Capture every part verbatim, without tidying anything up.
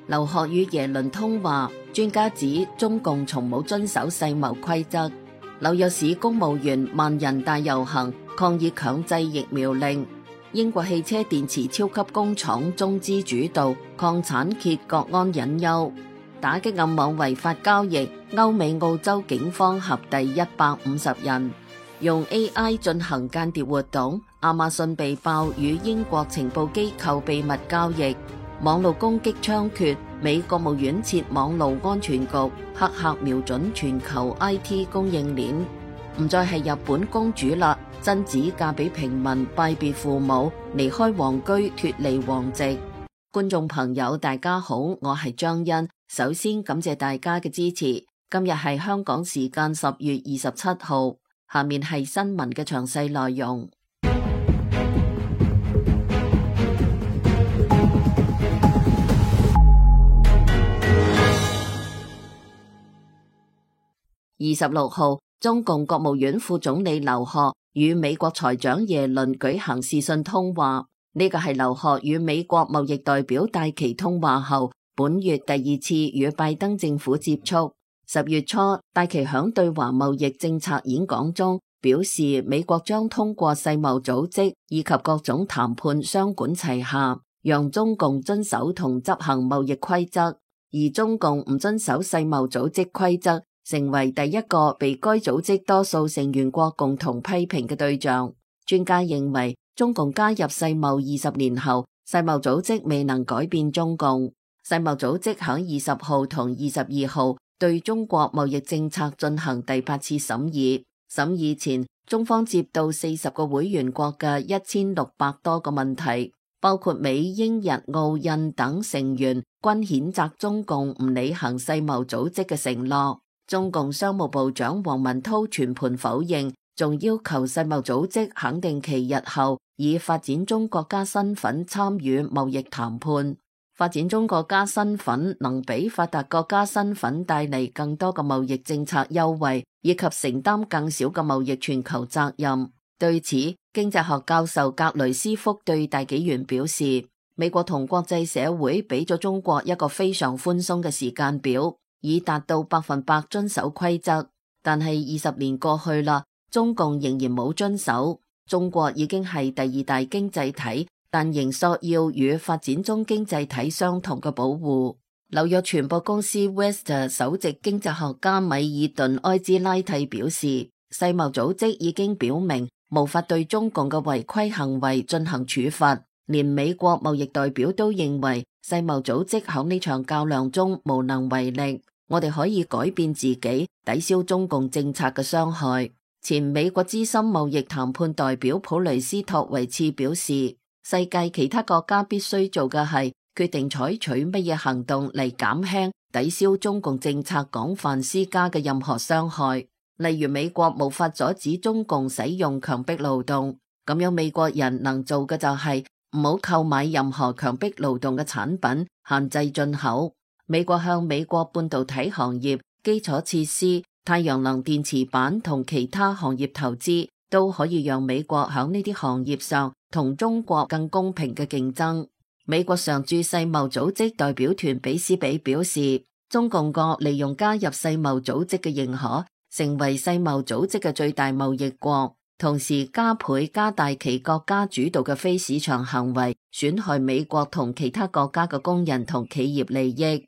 劉鶴與耶倫通話，專家指中共從冇遵守世貿規則。紐約市公務員萬人大遊行抗議強制疫苗令。英國汽車電池超級工廠中資主導礦產揭國安隱憂。打擊暗網違法交易，歐美澳洲警方合逮一百五十人。用 A I 進行間諜活動，亞馬遜被爆與英國情報機構秘密交易。網絡攻擊猖獗，美國務院設網絡安全局，黑客瞄準全球 I T 供應鏈。唔再係日本公主啦，真子嫁俾平民，拜別父母，離開皇居，脫離皇籍。觀眾朋友大家好，我係張欣，首先感謝大家嘅支持。今日係香港時間十月二十七號。下面係新聞嘅詳細內容。二十六號，中共國務院副總理劉鶴與美國財長耶倫舉行視訊通話，呢個係劉鶴與美國貿易代表戴琪通話後，本月第二次與拜登政府接觸。十月初，戴琪響對華貿易政策演講中表示，美國將通過世貿組織以及各種談判雙管齊下，讓中共遵守同執行貿易規則，而中共唔遵守世貿組織規則，成為第一個被該組織多數成員國共同批評嘅對象。專家認為，中共加入世貿二十年後，世貿組織未能改變中共。世貿組織響二十號同二十二號對中國貿易政策進行第八次審議，審議前，中方接到四十個會員國嘅一千六百多個問題，包括美、英、日、澳、印等成員均譴責中共唔履行世貿組織嘅承諾。中共商務部長王文濤全盤否認，仲要求世貿組織肯定其日後以發展中國家身份參與貿易談判。發展中國家身份能比發達國家身份帶嚟更多嘅貿易政策優惠，以及承擔更少嘅貿易全球責任。對此，經濟學教授格雷斯福對大紀元表示，美國同國際社會俾咗中國一個非常寬鬆嘅時間表，以達到百分百遵守規則。但係二十年過去啦，中共仍然冇遵守。中國已經係第二大經濟體，但仍索要與發展中經濟體相同嘅保護。紐約傳播公司 West 首席經濟學家米爾頓埃茲拉蒂表示，世貿組織已經表明無法對中共嘅違規行為進行處罰，連美國貿易代表都認為世貿組織喺呢場較量中無能為力。我哋可以改變自己，抵消中共政策嘅傷害。前美國資深貿易談判代表普雷斯托維茨表示，世界其他國家必須做嘅係決定採取乜嘢行動嚟減輕、抵消中共政策廣泛施加嘅任何傷害。例如，美國無法阻止中共使用強迫勞動，咁樣美國人能做嘅就係唔好購買任何強迫勞動嘅產品，限制進口。美國向美國半導體行業、基礎設施、太陽能電池板同其他行業投資，都可以讓美國喺呢啲行業上同中國更公平嘅競爭。美國常駐世貿組織代表團比斯比表示，中共國利用加入世貿組織嘅認可，成為世貿組織嘅最大貿易國，同時加倍加大其國家主導嘅非市場行為，損害美國同其他國家嘅工人同企業利益。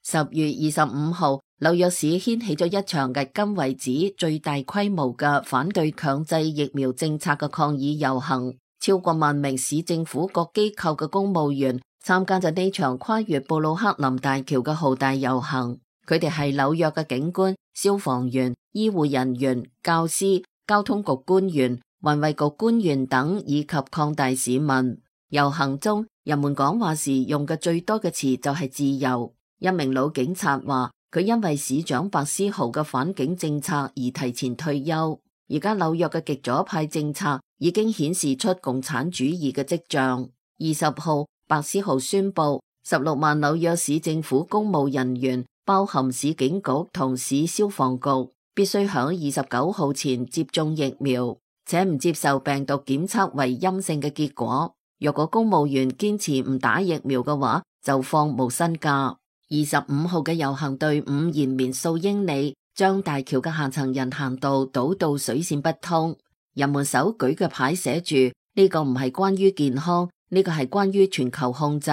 十月二十五號，紐約市掀起咗一場迄今為止最大規模嘅反對強制疫苗政策嘅抗議遊行，超過萬名市政府各機構嘅公務員參加咗呢場跨越布魯克林大橋嘅浩大遊行。佢哋係紐約嘅警官、消防員、醫護人員、教師、交通局官員、環衛局官員等，以及廣大市民。遊行中，人們講話時用嘅最多嘅詞就係自由。一名老警察話，佢因為市長白思豪嘅反警政策而提前退休。而家紐約嘅極左派政策已經顯示出共產主義嘅跡象。二十號，白思豪宣布，十六萬紐約市政府公務人員，包含市警局同市消防局，必須喺二十九號前接種疫苗，且唔接受病毒檢測為陰性嘅結果。若果公務員堅持唔打疫苗嘅話，就放無薪假。二十五號嘅遊行隊伍延綿數英里，將大橋嘅下層人行道堵到水泄不通。人們手舉嘅牌寫住：呢個唔係關於健康，呢個係關於全球控制。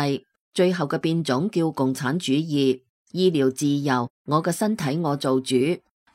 最後嘅變種叫共產主義。醫療自由，我嘅身體我做主，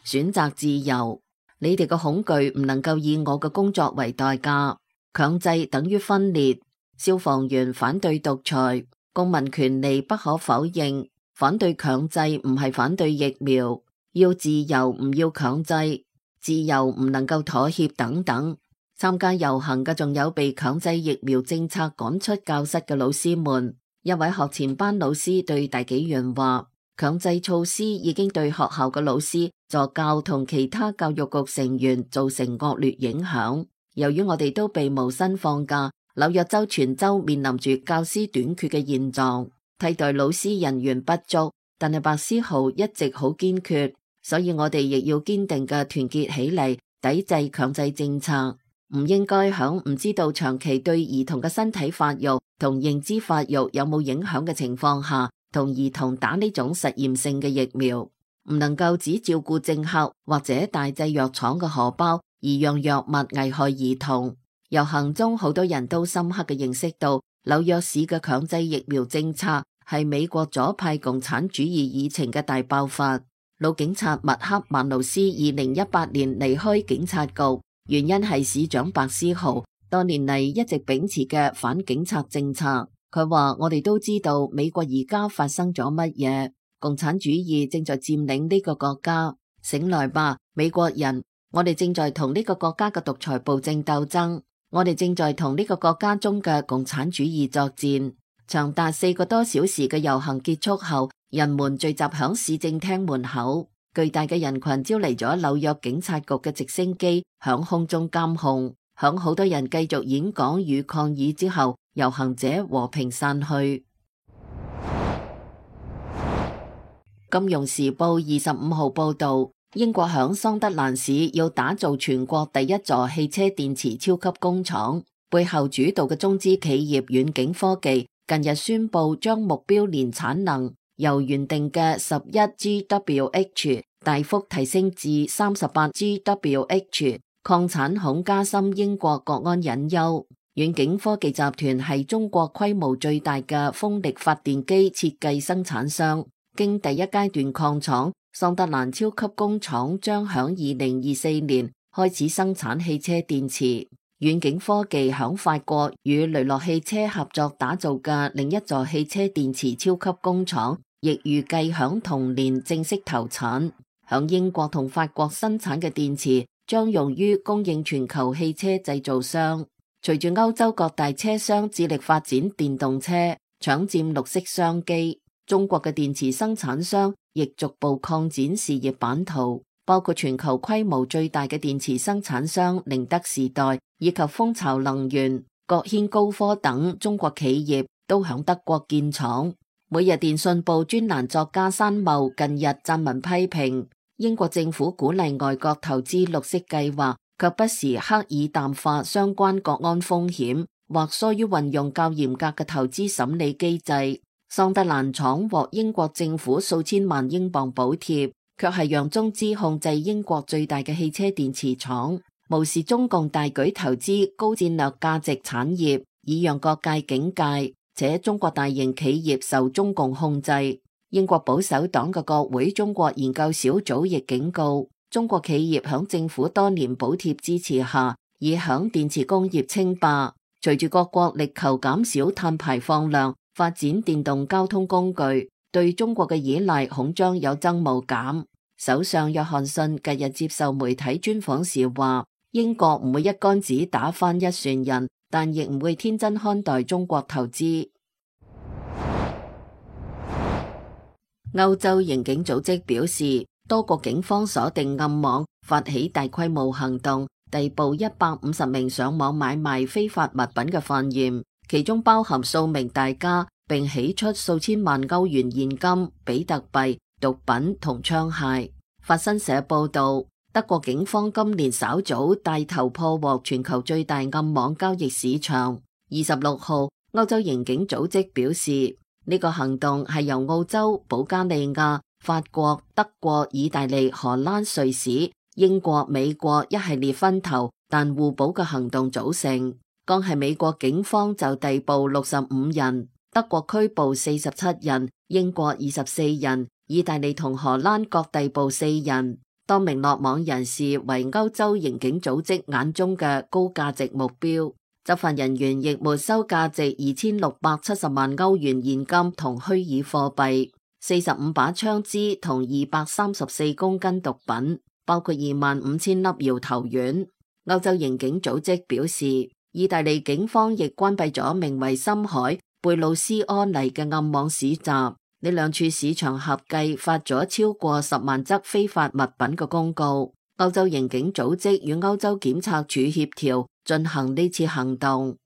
選擇自由。你哋嘅恐懼唔能夠以我嘅工作為代價。強制等於分裂。消防員反對獨裁，公民權利不可否認。反對強制唔係反對疫苗，要自由唔要強制，自由唔能夠妥協等等。參加遊行嘅仲有被強制疫苗政策趕出教室嘅老師們。一位學前班老師對大紀元話：強制措施已經對學校嘅老師、助教同其他教育局成員造成惡劣影響。由於我哋都被無薪放假，紐約州全州面臨住教師短缺嘅現狀。替代老師人員不足，但係白思豪一直好堅決，所以我哋亦要堅定嘅團結起嚟，抵制強制政策。唔應該響唔知道長期對兒童嘅身體發育同認知發育有冇影響嘅情況下，同兒童打呢種實驗性嘅疫苗。唔能夠只照顧政客或者大製藥廠嘅荷包，而讓藥物危害兒童。遊行中好多人都深刻嘅認識到，紐約市嘅強制疫苗政策係美國左派共產主義議程嘅大爆發。老警察麥克曼努斯二零一八年離開警察局，原因係市長白思豪多年嚟一直秉持嘅反警察政策。佢話：我哋都知道美國而家發生咗乜嘢，共產主義正在佔領呢個國家。醒來吧，美國人，我哋正在同呢個國家嘅獨裁暴政鬥爭，我哋正在同呢個國家中嘅共產主義作戰。長達四個多小時嘅遊行結束後，人們聚集響市政廳門口，巨大嘅人群招嚟咗紐約警察局嘅直升機響空中監控。響好多人繼續演講與抗議之後，遊行者和平散去。金融時報二十五號報道，英國響桑德蘭市要打造全國第一座汽車電池超級工廠，背後主導嘅中資企業遠景科技近日宣布將目標年產能由原定嘅十一 G W H 大幅提升至三十八 G W H。礦產恐加深英國國安隱憂。遠景科技集團係中國規模最大嘅風力發電機設計生產商。經第一階段礦廠，桑德蘭超級工廠將響二零二四年開始生產汽車電池。遠景科技響法國與雷諾汽車合作打造嘅另一座汽車電池超級工廠，亦預計響同年正式投產。響英國同法國生產嘅電池將用於供應全球汽車製造商。隨住歐洲各大車商致力發展電動車，搶佔綠色商機，中國嘅電池生產商亦逐步擴展事業版圖，包括全球規模最大嘅電池生產商寧德時代以及蜂巢能源、國軒高科等中國企業都響德國建廠。每日電訊報專欄作家山茂近日撰文批評英國政府鼓勵外國投資綠色計劃，卻不時刻意淡化相關國安風險，或疏於運用較嚴格嘅投資審理機制。桑德蘭廠獲英國政府數千萬英鎊補貼，卻係讓中資控制英國最大嘅汽車電池廠，無視中共大舉投資高戰略價值產業，以讓各界警戒。且中國大型企業受中共控制。英國保守黨嘅國會中國研究小組亦警告，中國企業響政府多年補貼支持下，已響電池工業稱霸。隨住各國力求減少碳排放量，發展電動交通工具，對中國嘅依賴恐將有增無減。首相約翰遜近日接受媒體專訪時話，英國唔會一竿子打翻一船人，但亦唔會天真看待中國投資。歐洲刑警組織表示，多國警方鎖定暗網，發起大規模行動，逮捕一百五十名上網買賣非法物品嘅犯嫌，其中包含數名大家，並起出數千萬歐元現金、比特幣、毒品同槍械。法新社報道，德國警方今年稍早帶頭破獲全球最大暗網交易市場。二十六號，歐洲刑警組織表示，呢個行動係由澳洲、保加利亞、法國、德國、意大利、荷蘭、瑞士、英國、美國一系列分頭但互補嘅行動組成。剛係美國警方就逮捕六十五人，德國拘捕四十七人，英國二十四人，意大利同荷蘭各逮捕四人。多名落網人士為歐洲刑警組織眼中嘅高價值目標。執法人員亦沒收價值二千六百七十萬歐元現金同虛擬貨幣、四十五把槍支同二百三十四公斤毒品，包括二萬五千粒搖頭丸。歐洲刑警組織表示，意大利警方亦關閉咗名為深海貝魯斯柯尼嘅暗網市集。呢兩處市場合計發咗超過十萬則非法物品嘅公告。歐洲刑警組織與歐洲檢察署協調進行呢次行動。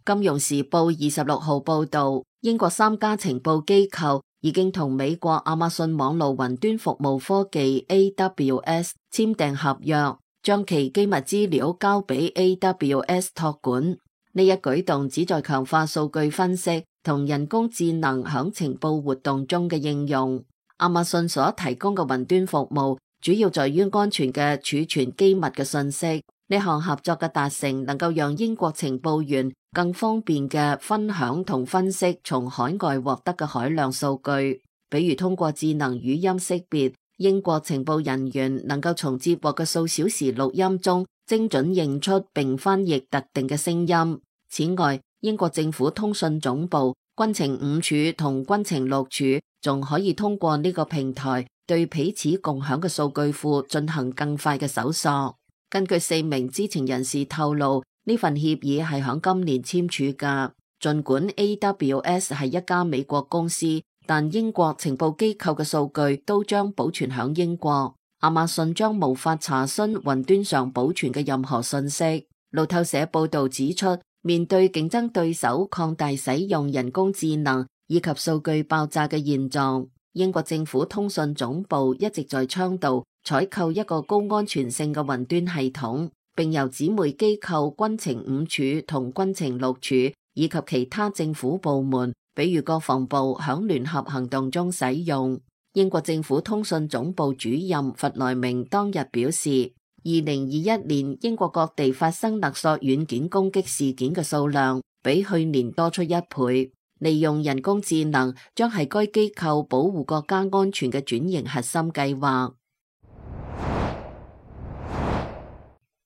金融時報二十六號報道，英國三家情報機構已經同美國亞馬遜網絡雲端服務科技 A W S 簽訂合約，將其機密資料交俾 A W S 託管。呢一舉動旨在強化數據分析同人工智能響情報活動中嘅應用。亞馬遜所提供嘅雲端服務主要在於安全嘅儲存機密嘅信息。呢項合作嘅達成能夠讓英國情報員更方便嘅分享同分析從海外獲得嘅海量數據，比如通過智能語音識別，英國情報人員能夠從接獲嘅數小時錄音中精準認出並翻譯特定嘅聲音。此外，英國政府通訊總部、軍情五處同軍情六處仲可以通過呢個平台對彼此共享嘅數據庫進行更快嘅搜索。根據四名知情人士透露，呢份協議係響今年簽署㗎。儘管 A W S 係一家美國公司，但英國情報機構嘅數據都將保存響英國。亞馬遜將無法查詢雲端上保存嘅任何信息。路透社報道指出，面對競爭對手擴大使用人工智能以及數據爆炸嘅現狀，英國政府通訊總部一直在倡導採購一個高安全性嘅雲端系統，並由姊妹機構軍情五處同軍情六處以及其他政府部門，比如國防部響聯合行動中使用。英國政府通訊總部主任弗萊明當日表示，二零二一年英國各地發生勒索軟件攻擊事件嘅數量比去年多出一倍。利用人工智能將係該機構保護國家安全嘅轉型核心計劃。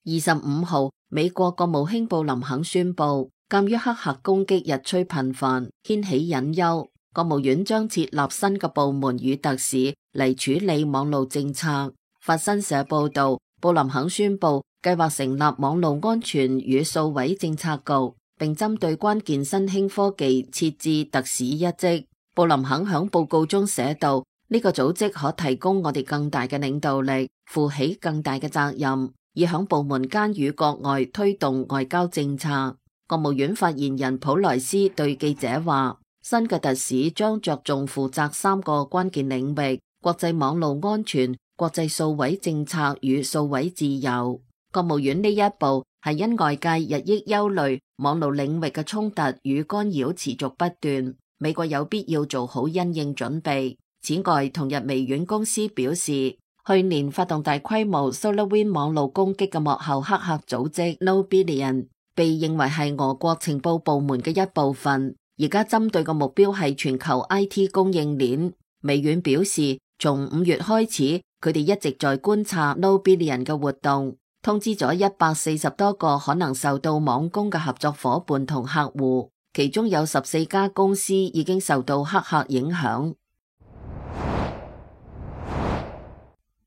二十五號，美國國務卿布林肯宣布，鑒於黑客攻擊日趨頻繁，掀起隱憂，國務院將設立新嘅部門與特使嚟處理網絡政策。法新社報道，布林肯宣布計劃成立網絡安全與數位政策局，並針對關鍵新興科技設置特使一職。布林肯響報告中寫道，呢個組織可提供我哋更大嘅領導力，負起更大嘅責任，以響部門間與國外推動外交政策。國務院發言人普萊斯對記者話，新嘅特使將着重負責三個關鍵領域：國際網絡安全、國際數位政策與數位自由。國務院呢一步係因外界日益憂慮網絡領域嘅衝突與干擾持續不斷，美國有必要做好因應準備。此外，同日微軟公司表示，去年發動大規模 SolarWinds 網絡攻擊嘅幕後黑客組織 Knowbillion 被認為係俄國情報部門嘅一部分，而家針對嘅目標係全球 I T 供應鏈。微軟表示，從五月開始，佢哋一直在觀察 Knowbillion 嘅活動，通知咗一百四十多個可能受到網攻嘅合作夥伴同客戶，其中有十四家公司已經受到黑客影響。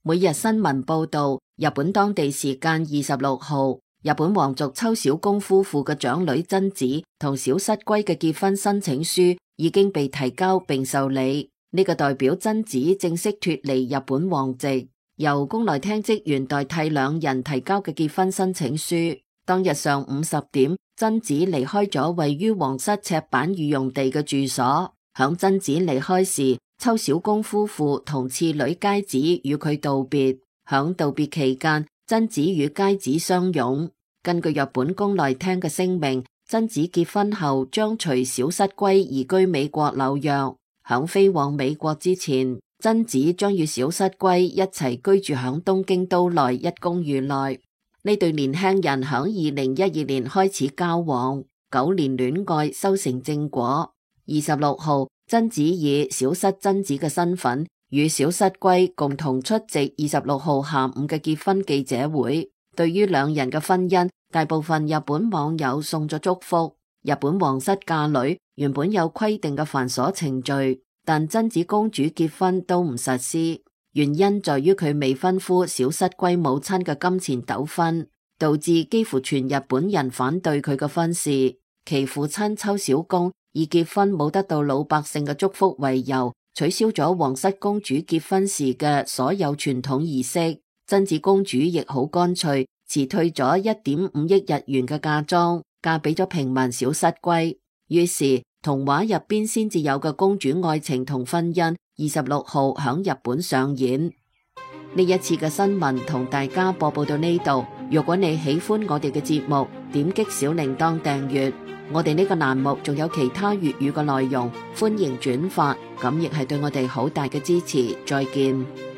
每日新聞報道，日本當地時間二十六號，日本皇族秋小宮夫婦嘅長女真子同小室圭嘅結婚申請書已經被提交並受理。呢、這個代表真子正式脫離日本皇籍，由宮內廳職員代替兩人提交嘅結婚申請書。當日上午十點，真子離開咗位於皇室赤坂御用地嘅住所。響真子離開時，秋小宮夫婦同次女佳子與佢道別。響道別期間，真子與佳子相擁。根據日本宮內廳嘅聲明，真子結婚後將隨小室圭移居美國紐約。響飛往美國之前，真子將與小室圭一齊居住響東京都內一公寓內。呢對年輕人響二零一二年開始交往，九年戀愛修成正果。二十六號，真子以小室真子嘅身份與小室圭共同出席二十六號下午嘅結婚記者會。對於兩人嘅婚姻，大部分日本網友送咗祝福。日本皇室嫁女原本有規定嘅繁瑣程序，但真子公主結婚都唔實施，原因在於佢未婚夫小室圭母親嘅金錢糾紛，導致幾乎全日本人反對佢嘅婚事。其父親秋小宮以結婚冇得到老百姓嘅祝福為由，取消咗皇室公主結婚時嘅所有傳統儀式。真子公主亦好乾脆辭退咗一點五億日元嘅嫁妝，嫁俾咗平民小室圭。於是童話入邊先至有嘅公主愛情同婚姻，二十六號響日本上演。呢一次嘅新聞同大家播報到呢度。如果你喜歡我哋嘅節目，點擊小鈴鐺訂閱。我哋呢個欄目仲有其他粵語嘅內容，歡迎轉發，咁亦係對我哋好大嘅支持。再見。